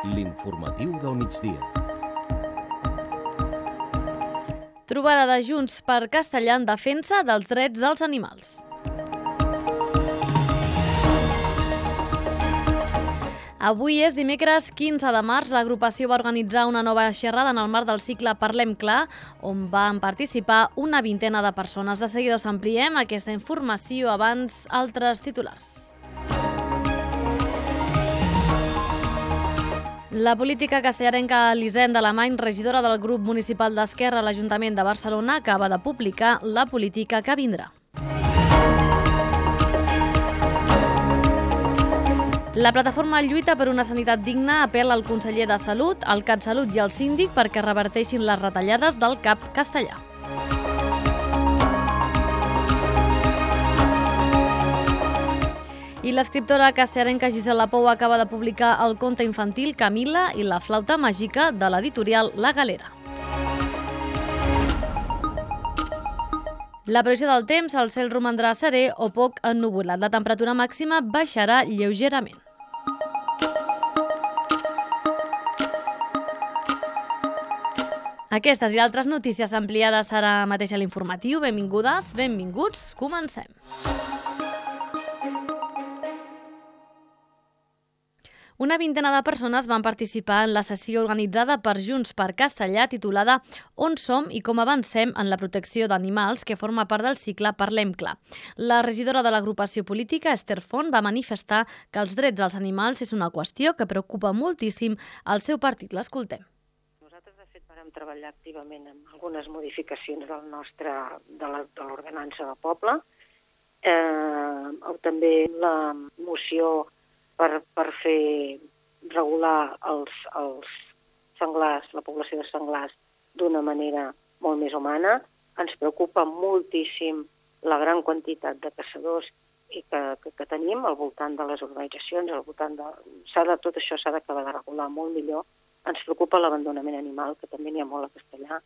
L'informatiu del migdia. Trobada de Junts per Castellà en defensa dels drets dels animals. Avui és dimecres 15 de març. L'agrupació va organitzar una nova xerrada en el marc del cicle Parlem Clar, on van participar una vintena de persones. De seguida us ampliem aquesta informació, abans altres titulars. La política castellarenca Elisenda Alemany, regidora del grup municipal d'Esquerra a l'Ajuntament de Barcelona, acaba de publicar la política que vindrà. La plataforma Lluita per una sanitat digna apel·la al conseller de Salut, al CatSalut i al síndic perquè reverteixin les retallades del CAP castellà. I l'escriptora castellarenca Gisela Pou acaba de publicar el conte infantil Camila i la flauta màgica de l'editorial La Galera. La previsió del temps, el cel romandrà serè o poc ennuvolat. La temperatura màxima baixarà lleugerament. Aquestes i altres notícies ampliades ara mateix a l'informatiu. Benvingudes, benvinguts, comencem. Una vintena de persones van participar en la sessió organitzada per Junts per Castellà titulada On som i com avancem en la protecció d'animals, que forma part del cicle Parlem Clar. La regidora de l'agrupació política, Esther Font, va manifestar que els drets dels animals és una qüestió que preocupa moltíssim al seu partit. L'escoltem. Nosaltres, de fet, vam treballar activament en algunes modificacions de l'ordenança del poble, també la moció per fer regular els senglars, la població de senglars, d'una manera molt més humana. Ens preocupa moltíssim la gran quantitat de caçadors que tenim al voltant de les urbanitzacions, tot això s'ha d'acabar de regular molt millor. Ens preocupa l'abandonament animal, que també n'hi ha molt a Castellà.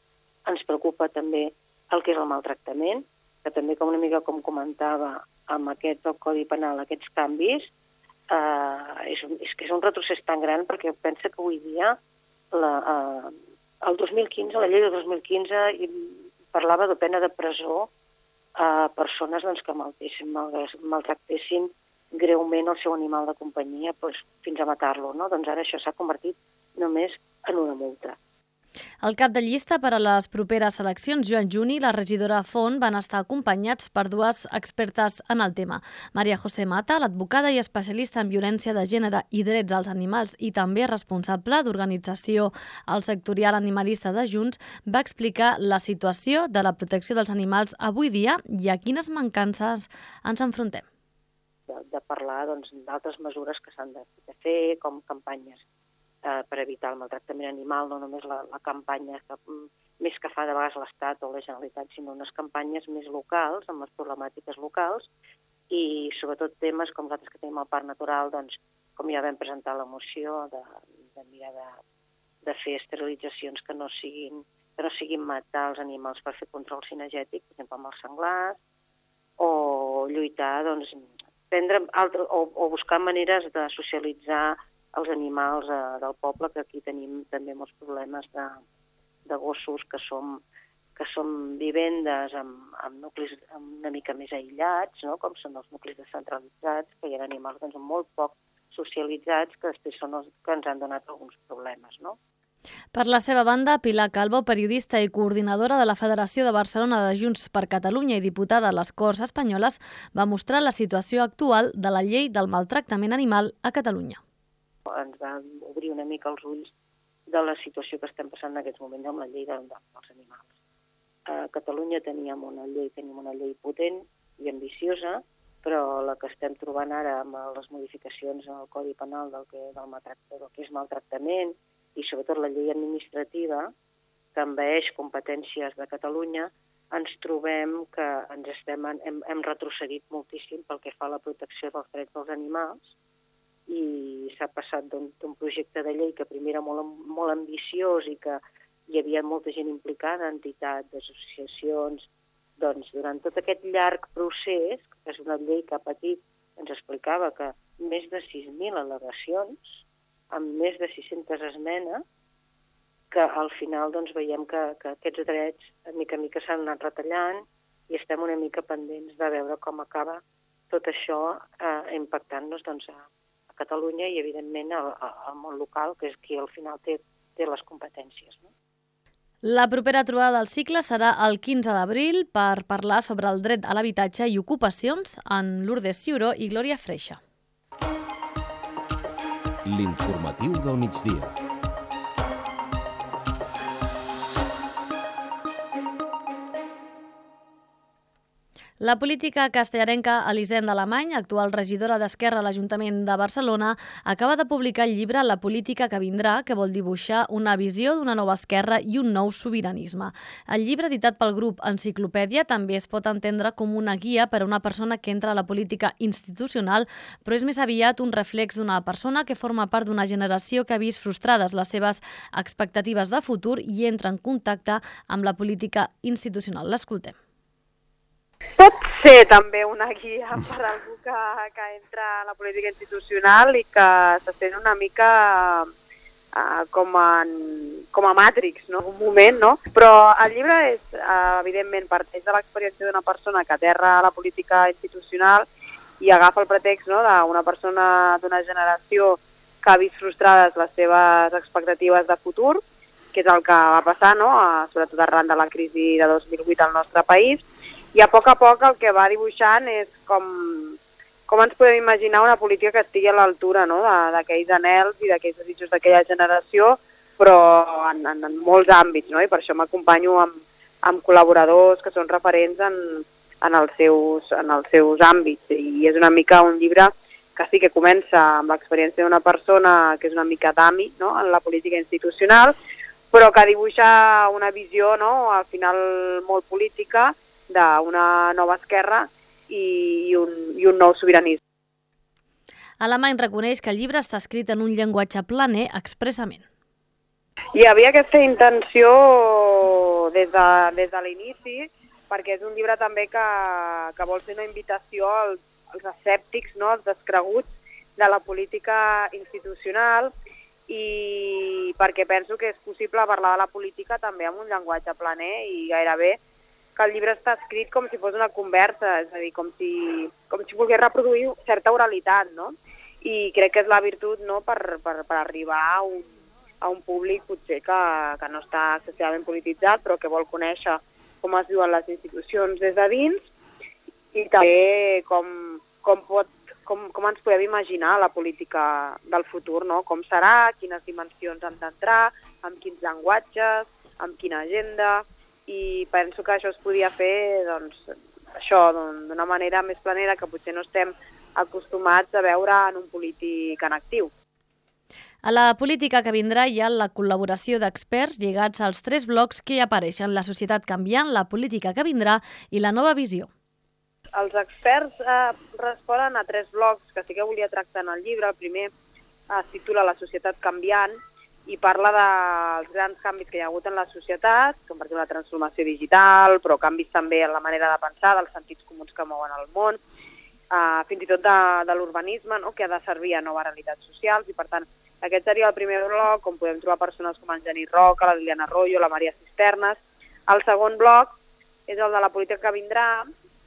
Ens preocupa també el que és el maltractament, que també, una mica com comentava, amb aquest del Codi Penal, aquests canvis, és un retrocés tan gran perquè pensa que avui dia el 2015, la llei de 2015 parlava de pena de presó a persones que maltractessin greument el seu animal de companyia fins a matar-lo. Doncs ara això s'ha convertit només en una multa. El cap de llista per a les properes eleccions, Joan Juni, i la regidora Font van estar acompanyats per dues expertes en el tema. Maria José Mata, l'advocada i especialista en violència de gènere i drets als animals i també responsable d'organització al sectorial animalista de Junts, va explicar la situació de la protecció dels animals avui dia i a quines mancances ens enfrontem. De parlar d'altres mesures que s'han de fer, com campanyes per evitar el maltractament animal, no només la campanya més que fa de vegades l'Estat o la Generalitat, sinó unes campanyes més locals, amb les problemàtiques locals, i sobretot temes com nosaltres que tenim al Parc Natural, com ja vam presentar la moció, de mirar de fer esterilitzacions que no siguin matar els animals per fer control cinegètic, per exemple amb els senglars, o lluitar, o buscar maneres de socialitzar els animals del poble, que aquí tenim també molts problemes de gossos que són vivendes amb nuclis una mica més aïllats, com són els nuclis descentralitzats, que hi ha animals molt poc socialitzats que després són els que ens han donat alguns problemes. Per la seva banda, Pilar Calvo, periodista i coordinadora de la Federació de Barcelona de Junts per Catalunya i diputada a les Corts Espanyoles, va mostrar la situació actual de la llei del maltractament animal a Catalunya. Ens va obrir una mica els ulls de la situació que estem passant en aquests moments amb la llei dels animals. A Catalunya teníem una llei potent i ambiciosa, però la que estem trobant ara amb les modificacions en el Codi Penal del que és maltractament i sobretot la llei administrativa que envaeix competències de Catalunya, ens trobem que hem retrocedit moltíssim pel que fa a la protecció dels drets dels animals, i s'ha passat d'un projecte de llei que primer era molt ambiciós i que hi havia molta gent implicada, entitats, associacions. Durant tot aquest llarg procés, que és una llei que ha patit, ens explicava que més de 6.000 al·legacions, amb més de 600 esmenes, que al final doncs, veiem que aquests drets mica en mica s'han anat retallant i estem una mica pendents de veure com acaba tot això impactant-nos doncs, a Catalunya i, evidentment, al món local, que és qui al final té les competències. No? La propera trobada del cicle serà el 15 d'abril per parlar sobre el dret a l'habitatge i ocupacions en Lourdes Ciuró i Glòria Freixa. L'informatiu del migdia. La política castellarenca Elisenda Alemany, actual regidora d'Esquerra a l'Ajuntament de Barcelona, acaba de publicar el llibre La política que vindrà, que vol dibuixar una visió d'una nova esquerra i un nou sobiranisme. El llibre, editat pel grup Enciclopèdia, també es pot entendre com una guia per a una persona que entra a la política institucional, però és més aviat un reflex d'una persona que forma part d'una generació que ha vist frustrades les seves expectatives de futur i entra en contacte amb la política institucional. L'escoltem. Pot ser també una guia per a algú que entra a la política institucional i que se sent una mica com a Matrix, no? Un moment, no? Però el llibre és, evidentment, parteix de l'experiència d'una persona que aterra a la política institucional i agafa el pretext, no?, d'una persona d'una generació que ha vist frustrades les seves expectatives de futur, que és el que va passar, no?, sobretot arran de la crisi de 2008 al nostre país. I a poc el que va dibuixant és com ens podem imaginar una política que estigui a l'altura, no?, d'aquells anhels i d'aquells desitjos d'aquella generació, però en molts àmbits, no? I per això m'acompanyo amb col·laboradors que són referents en els seus àmbits. I és una mica un llibre que sí que comença amb l'experiència d'una persona que és una mica d'ami, no?, en la política institucional, però que dibuixa una visió, no?, al final molt política, d'una nova esquerra i un nou sobiranisme. Alemany reconeix que el llibre està escrit en un llenguatge planer expressament. Hi havia aquesta intenció des de l'inici, perquè és un llibre també que vol ser una invitació als escèptics, no?, als descreguts de la política institucional, i perquè penso que és possible parlar de la política també amb un llenguatge planer i gairebé que el llibre està escrit com si fos una conversa, és a dir, com si volgués reproduir certa oralitat, no? I crec que és la virtut, no?, per arribar a un públic potser que no està excessivament polititzat, però que vol conèixer com es viuen les institucions des de dins i també com ens podem imaginar la política del futur, no? Com serà, quines dimensions han d'entrar, amb quins llenguatges, amb quina agenda. I penso que això es podia fer d'una manera més planera que potser no estem acostumats a veure en un polític en actiu. A la política que vindrà hi ha la col·laboració d'experts lligats als 3 blocs que hi apareixen: la societat canviant, la política que vindrà i la nova visió. Els experts responen a 3 blocs que sí que volia tractar en el llibre. El primer es titula La societat canviant, i parla dels grans canvis que hi ha hagut en la societat, com per exemple la transformació digital, però canvis també en la manera de pensar, dels sentits comuns que mouen el món, fins i tot de l'urbanisme, no?, que ha de servir a noves realitats socials, i per tant aquest seria el primer bloc, on podem trobar persones com en Genís Roca, la Liliana Arroyo, la Maria Cisternes. El segon bloc és el de la política que vindrà,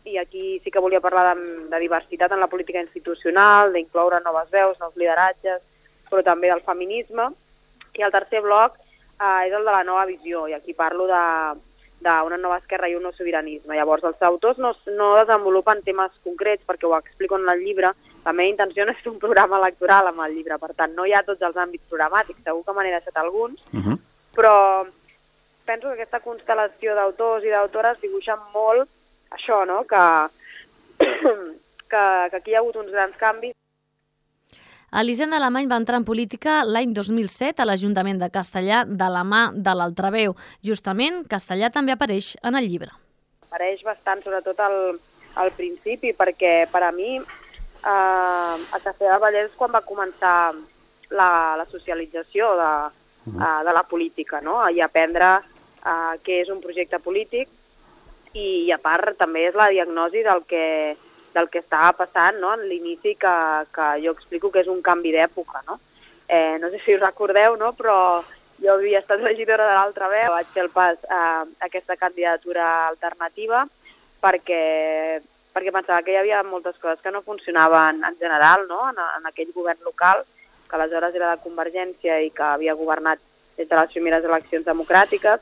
i aquí sí que volia parlar de diversitat en la política institucional, d'incloure noves veus, nous lideratges, però també del feminisme. I el tercer bloc és el de la nova visió, i aquí parlo d'una nova esquerra i un nou sobiranisme. Llavors, els autors no desenvolupen temes concrets, perquè ho explico en el llibre. La meva intenció no és fer un programa electoral amb el llibre, per tant, no hi ha tots els àmbits programàtics, segur que me n'he deixat alguns, però penso que aquesta constel·lació d'autors i d'autores dibuixen molt això, no?, que aquí hi ha hagut uns grans canvis. Elisenda Alemany va entrar en política l'any 2007 a l'Ajuntament de Castellar de la mà de l'Altraveu. Justament, Castellar també apareix en el llibre. Apareix bastant, sobretot al principi, perquè per a mi a Castellar del Vallès quan va començar la socialització de la política, no?, i aprendre què és un projecte polític, i a part també és la diagnosi del que del que estava passant, no? En l'inici que jo explico que és un canvi d'època, no? No sé si us recordeu, no? Però jo havia estat regidora de l'Altra Veu, vaig fer el pas a aquesta candidatura alternativa perquè pensava que hi havia moltes coses que no funcionaven en general, no? En aquell govern local, que aleshores era de Convergència i que havia governat des de les primeres eleccions democràtiques,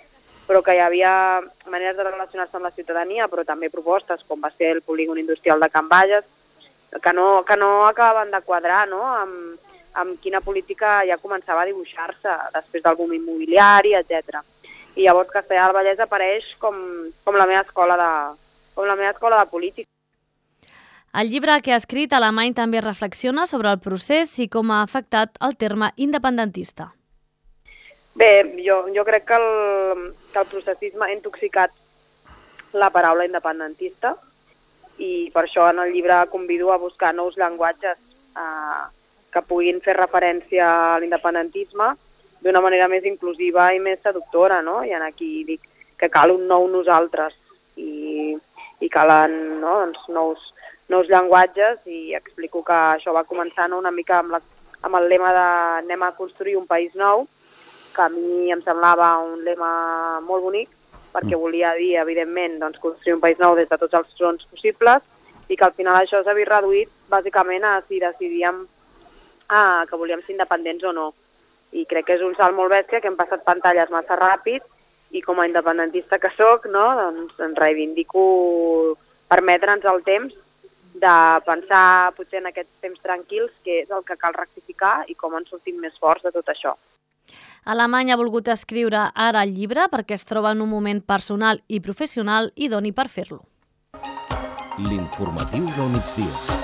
però que hi havia maneres de relacionar-se amb la ciutadania, però també propostes, com va ser el polígon industrial de Can Bages, que no acabaven de quadrar, no? Amb quina política ja començava a dibuixar-se després del boom immobiliari, etc. I llavors Castellar del Vallès apareix com la meva escola de política. El llibre que ha escrit Alemany també reflexiona sobre el procés i com ha afectat el terme independentista. Bé, jo crec que el processisme ha intoxicat la paraula independentista i per això en el llibre convido a buscar nous llenguatges que puguin fer referència a l'independentisme d'una manera més inclusiva i més seductora, no? I aquí dic que cal un nou nosaltres i calen, no? Doncs nous llenguatges i explico que això va començar una mica amb el lema de anem a construir un país nou, que a mi em semblava un lema molt bonic, perquè volia dir, evidentment, doncs, construir un país nou des de tots els fronts possibles i que al final això s'havia reduït bàsicament a si decidíem que volíem ser independents o no. I crec que és un salt molt bèstia, que hem passat pantalles massa ràpid i com a independentista que soc, no, doncs em reivindico permetre'ns el temps de pensar potser en aquests temps tranquils què és el que cal rectificar i com en sortim més forts de tot això. Alemany ha volgut escriure ara el llibre perquè es troba en un moment personal i professional i doni per fer-lo. L'informatiu del migdia.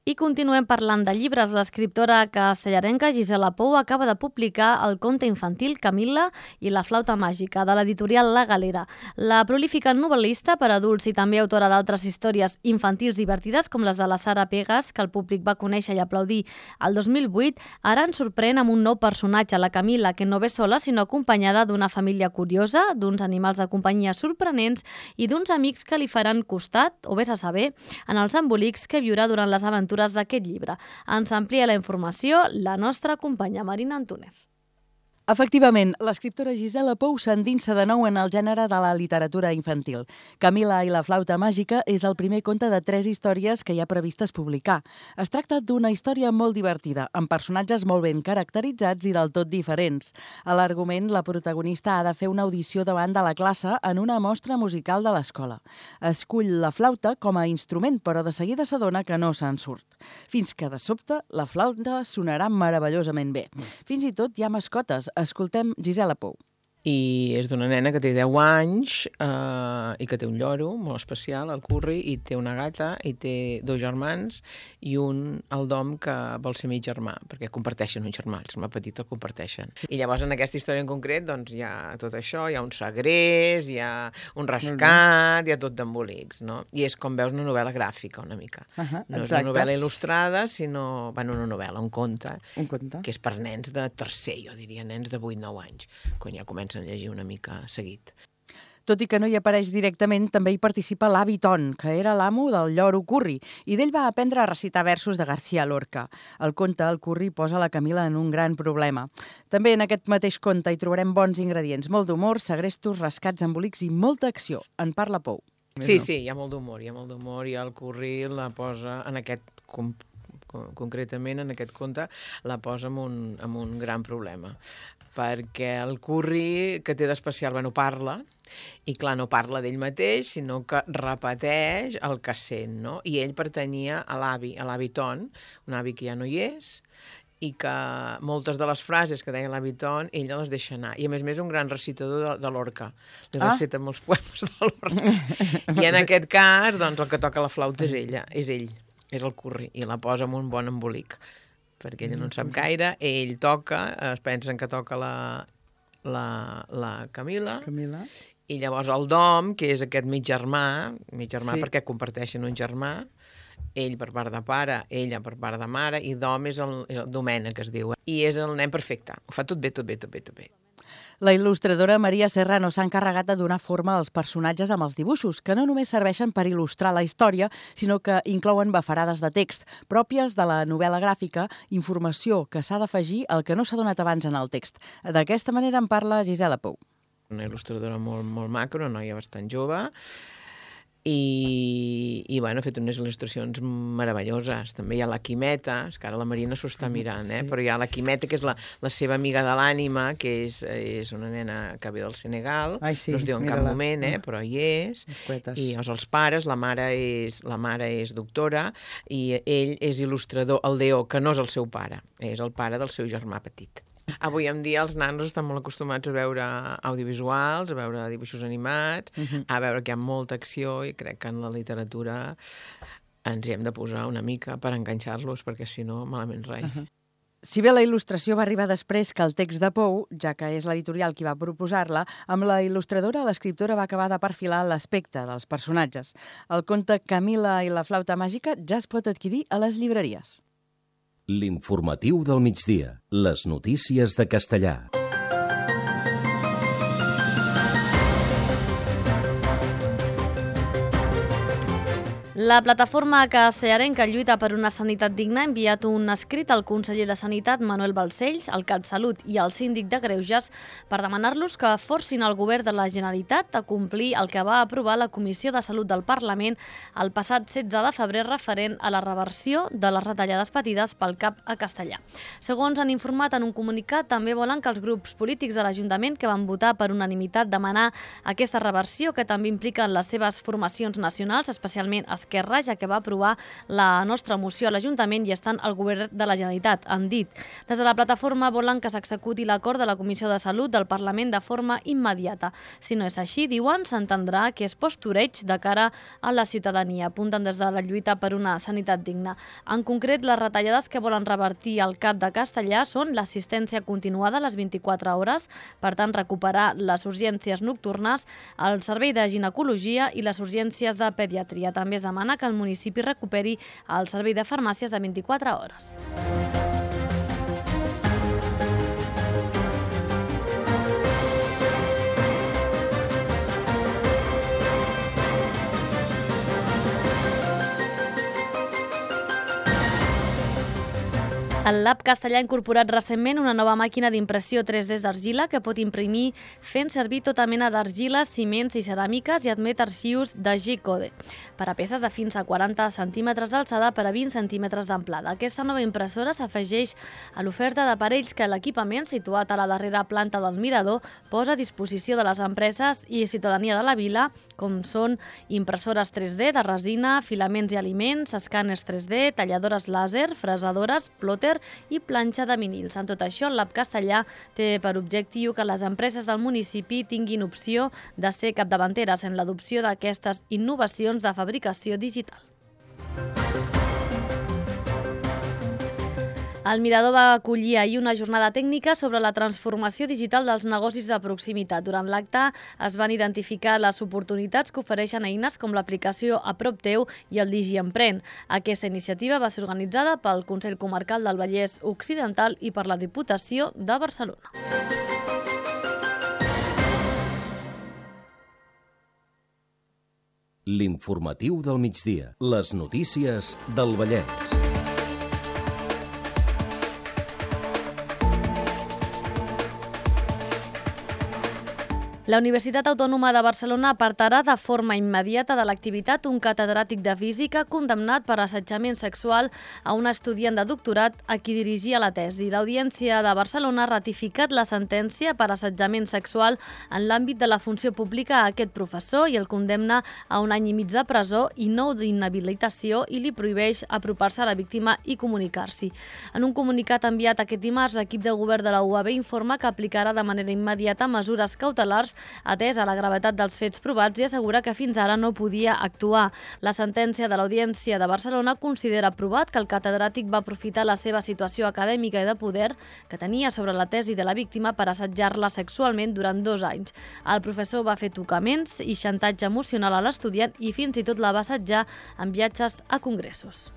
I continuem parlant de llibres. L'escriptora castellarenca Gisela Pou acaba de publicar el conte infantil Camil·la i la flauta màgica, de l'editorial La Galera. La prolífica novel·lista per adults i també autora d'altres històries infantils divertides, com les de la Sara Pegas, que el públic va conèixer i aplaudir el 2008, ara ens sorprèn amb un nou personatge, la Camil·la, que no ve sola, sinó acompanyada d'una família curiosa, d'uns animals de companyia sorprenents i d'uns amics que li faran costat, o vés a saber, en els embolics que viurà durant les aventures d'aquest llibre. Ens amplia la informació la nostra companya Marina Antúnez. Efectivament, l'escriptora Gisela Pou s'endinsa de nou en el gènere de la literatura infantil. Camil·la i la flauta màgica és el primer conte de 3 històries que hi ha previstes publicar. Es tracta d'una història molt divertida, amb personatges molt ben caracteritzats i del tot diferents. A l'argument, la protagonista ha de fer una audició davant de la classe en una mostra musical de l'escola. Escull la flauta com a instrument, però de seguida s'adona que no se'n surt. Fins que, de sobte, la flauta sonarà meravellosament bé. Fins i tot hi ha mascotes. Escoltem Gisela Pou. I és d'una nena que té 10 anys i que té un lloro molt especial, el Curri, i té una gata, i té 2 germans i el Dom, que vol ser mig germà, perquè comparteixen un germà, el germà petit el comparteixen. I llavors en aquesta història en concret doncs, hi ha tot això, hi ha un segrest, hi ha un rescat, hi ha tot d'embolics, no? I és, com veus, una novel·la gràfica, una mica. No és una novel·la il·lustrada, sinó, una novel·la, un conte, que és per nens de tercer, jo diria, nens de 8-9 anys, quan ja comencen a llegir una mica seguit. Tot i que no hi apareix directament, també hi participa l'avi Ton, que era l'amo del lloro Curri, i d'ell va aprendre a recitar versos de García Lorca. Al conte, el Curri posa la Camil·la en un gran problema. També en aquest mateix conte hi trobarem bons ingredients, molt d'humor, segrestos, rescats, embolics i molta acció. En parla Pou. Sí, hi ha molt d'humor, i el Curri la posa en aquest concretament en aquest conte, la posa en un gran problema. Perquè el Curri, que té d'especial, parla, i clar, no parla d'ell mateix, sinó que repeteix el que sent, no? I ell pertanyia a l'avi Ton, un avi que ja no hi és, i que moltes de les frases que deia l'avi Ton, ella les deixa anar. I a més un gran recitador de Lorca. Li recita molts poemes de Lorca. I en aquest cas, doncs, el que toca la flauta és ell, és el Curri, i la posa amb un bon embolic. Perquè ella no en sap gaire, ell toca, es pensen que toca la Camil·la, i llavors el Dom, que és aquest mig germà perquè comparteixen un germà, ell per part de pare, ella per part de mare, i Dom és el Domènec, que es diu, i és el nen perfecte, ho fa tot bé. La il·lustradora Maria Serrano s'ha encarregat de donar forma als personatges amb els dibuixos, que no només serveixen per il·lustrar la història, sinó que inclouen bafarades de text, pròpies de la novel·la gràfica, informació que s'ha d'afegir al que no s'ha donat abans en el text. D'aquesta manera en parla Gisela Pou. Una il·lustradora molt maca, una noia bastant jove, i bueno, ha fet unes il·lustracions meravelloses. També hi ha la Quimeta, és que ara la Marina s'ho està mirant, Sí. Però hi ha la Quimeta, que és la seva amiga de l'ànima, que és una nena que ve del Senegal, Ai, sí, no es diu en cap mira-la. moment, però hi és. Les cuetes. I els pares, la mare és doctora i ell és il·lustrador, el Deo, que no és el seu pare, és el pare del seu germà petit. Avui en dia els nanos estan molt acostumats a veure audiovisuals, a veure dibuixos animats, a veure que hi ha molta acció, i crec que en la literatura ens hi hem de posar una mica per enganxar-los, perquè si no, malament res. Si bé la il·lustració va arribar després que el text de Pou, ja que és l'editorial qui va proposar-la, amb la il·lustradora l'escriptora va acabar de perfilar l'aspecte dels personatges. El conte Camila i la flauta màgica ja es pot adquirir a les llibreries. L'informatiu del migdia. Les notícies de Castellà. La plataforma castellarenca lluita per una sanitat digna ha enviat un escrit al conseller de Sanitat, Manuel Balcells, al CatSalut i al síndic de Greuges per demanar-los que forcin el govern de la Generalitat a complir el que va aprovar la Comissió de Salut del Parlament el passat 16 de febrer referent a la reversió de les retallades patides pel CAP a Castellà. Segons han informat en un comunicat, també volen que els grups polítics de l'Ajuntament que van votar per unanimitat demanar aquesta reversió, que també impliquen les seves formacions nacionals, especialment Esquerra, ja que va aprovar la nostra moció a l'Ajuntament i estan al govern de la Generalitat, han dit. Des de la plataforma volen que s'executi l'acord de la Comissió de Salut del Parlament de forma immediata. Si no és així, diuen, s'entendrà que és postureig de cara a la ciutadania, apunten des de la lluita per una sanitat digna. En concret, les retallades que volen revertir al CAP de Castellà són l'assistència continuada a les 24 hores, per tant, recuperar les urgències nocturnes, el servei de ginecologia i les urgències de pediatria. També es demana que el municipi recuperi el servei de farmàcies de 24 hores. El Lab Castellà ha incorporat recentment una nova màquina d'impressió 3D d'argila que pot imprimir fent servir tota mena d'argiles, ciments i ceràmiques i admet arxius de G-Code per a peces de fins a 40 centímetres d'alçada per a 20 centímetres d'amplada. Aquesta nova impressora s'afegeix a l'oferta d'aparells que l'equipament, situat a la darrera planta del Mirador, posa a disposició de les empreses i ciutadania de la vila, com són impressores 3D de resina, filaments i aliments, escàners 3D, talladores làser, fresadores, plòter i planxa de vinils. En tot això, el Lab Castellà té per objectiu que les empreses del municipi tinguin opció de ser capdavanteres en l'adopció d'aquestes innovacions de fabricació digital. El Mirador va acollir ahir una jornada tècnica sobre la transformació digital dels negocis de proximitat. Durant l'acte es van identificar les oportunitats que ofereixen eines com l'aplicació A Prop Teu i el DigiEmprèn. Aquesta iniciativa va ser organitzada pel Consell Comarcal del Vallès Occidental i per la Diputació de Barcelona. L'informatiu del migdia. Les notícies del Vallès. La Universitat Autònoma de Barcelona apartarà de forma immediata de l'activitat un catedràtic de física condemnat per assetjament sexual a un estudiant de doctorat a qui dirigia la tesi. L'Audiència de Barcelona ha ratificat la sentència per assetjament sexual en l'àmbit de la funció pública a aquest professor i el condemna a 1 any i mig de presó i 9 d'inhabilitació i li prohibeix apropar-se a la víctima i comunicar-s'hi. En un comunicat enviat aquest dimarts, l'equip de govern de la UAB informa que aplicarà de manera immediata mesures cautelars atès a la gravetat dels fets provats i assegura que fins ara no podia actuar. La sentència de l'Audiència de Barcelona considera provat que el catedràtic va aprofitar la seva situació acadèmica i de poder que tenia sobre la tesi de la víctima per assetjar-la sexualment durant 2 anys. El professor va fer tocaments i xantatge emocional a l'estudiant i fins i tot la va assetjar en viatges a congressos.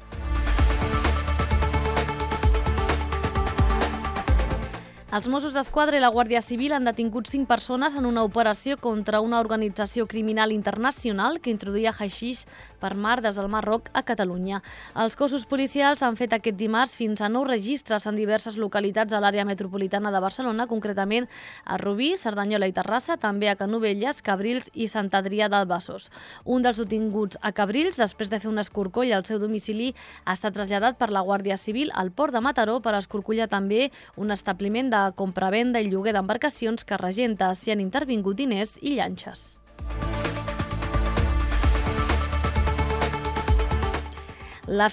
Els Mossos d'Esquadra i la Guàrdia Civil han detingut 5 persones en una operació contra una organització criminal internacional que introduïa haixix per mar des del Marroc a Catalunya. Els cossos policials han fet aquest dimarts fins a 9 registres en diverses localitats a l'àrea metropolitana de Barcelona, concretament a Rubí, Cerdanyola i Terrassa, també a Canovelles, Cabrils i Sant Adrià del Besòs. Un dels detinguts a Cabrils, després de fer un escorcoll al seu domicili, ha estat traslladat per la Guàrdia Civil al port de Mataró per escorcollar també un establiment de compra-venda i lloguer d'embarcacions que regenta. S'hi han intervingut diners i llanxes. La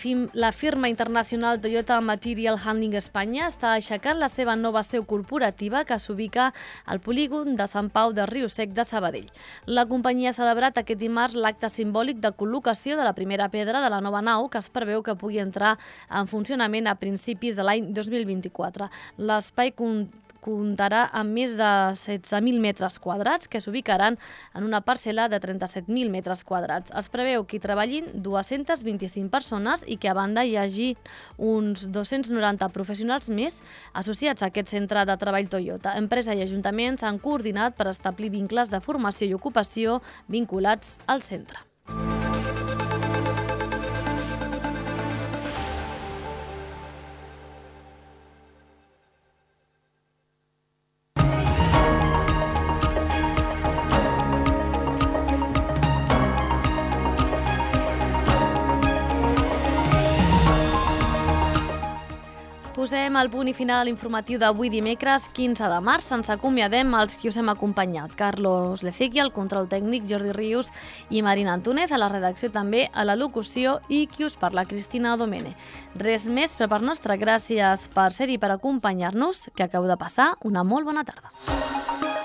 firma internacional Toyota Material Handling Espanya està aixecant la seva nova seu corporativa que s'ubica al polígon de Sant Pau de Riu-Sec de Sabadell. La companyia ha celebrat aquest dimarts l'acte simbòlic de col·locació de la primera pedra de la nova nau que es preveu que pugui entrar en funcionament a principis de l'any 2024. L'espai comptarà amb més de 16.000 metres quadrats que s'ubicaran en una parcel·la de 37.000 metres quadrats. Es preveu que hi treballin 225 persones i que a banda hi hagi uns 290 professionals més associats a aquest centre de treball Toyota. Empresa i ajuntaments han coordinat per establir vincles de formació i ocupació vinculats al centre. Posem el punt i final a l'informatiu d'avui dimecres 15 de març. Ens acomiadem els qui us hem acompanyat. Carlos Lecequi, al control tècnic, Jordi Rius i Marina Antúnez, a la redacció també, a la locució i qui us parla, Cristina Domene. Res més, per part nostra, gràcies per ser-hi, per acompanyar-nos, que acabeu de passar una molt bona tarda.